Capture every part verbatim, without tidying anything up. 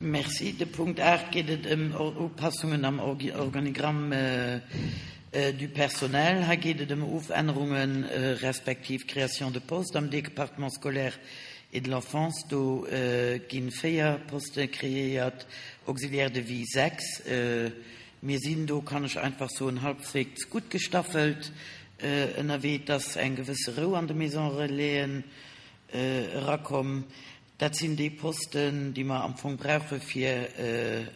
Merci. De Punkt aacht geet et ëm Upassungen am Organigramm du personnel. Hei geet et ëm Ofännerungen respektiv Création de postes am Département scolaire et de l'enfance. Do ginn véier Poste kreéiert, Auxiliaire de vie sechs. Mir sinn do, kann ech einfach soen, halbwegs gutt gestaffelt ënnerwee, dass eng gewësse Rou an de Maison Relaisen erakomm. Dat sinn déi Posten, déi mer am Fong brauche fir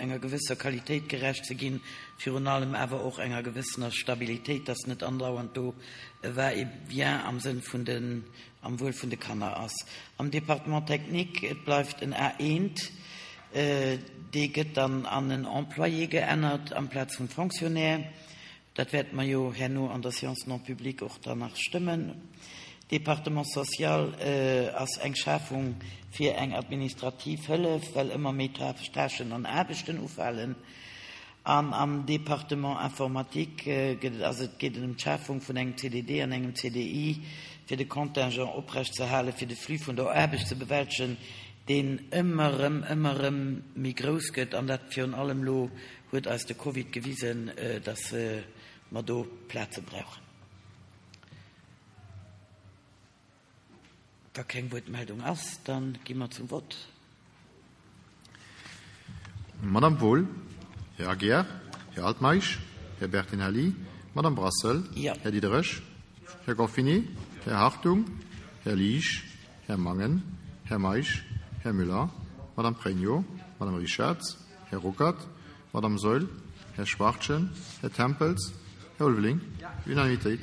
enger gewësser Qualitéit gerecht ze ginn, virun allem awer och enger gewëssener Stabilitéit, dass net andauernd do e Va-et-vient am Sënn vun den, am Wuel vun de Kanner ass. Am Département technique, et bleift en A eent, dee gëtt dann an en Employé geännert amplaz vum Fonctionnaire. Dat wäerte mer jo herno an der Séance non publique och dann nach stëmmen. Département social ass eng Schafung fir eng administrativ Hëllef, well ëmmer méi Tâchen an Aarbechten ufalen. An am Département informatique gëtt et, ass et, geet et ëm d'Schafung vun engem C D D an engem C D I, fir de Contingent oprecht ze halen, fir de Flux vun der Aarbecht ze bewältegen, deen ëmmer erëm, ëmmer erëm méi grouss gëtt, an dat virun allem lo huet eis de Covid gewisen, dass mer do Plaze brauchen. Wa keng Wuertmeldung ass, dann gi mer zum Vott. Madame Wohl, Här Aguiar, Här Altmeisch, Här Bertinelli, Madame Brassel, Ja. Här Diderich, Här Gorfini, Här Hartung, Här Liesch, Här Mangen, Här Meisch, Här Müller, Madame Pregno, Madame Richards, Här Ruckert, Madame Saeul, Här Schwachtgen, Här Tempels, Här Ulveling. Unanimitéit.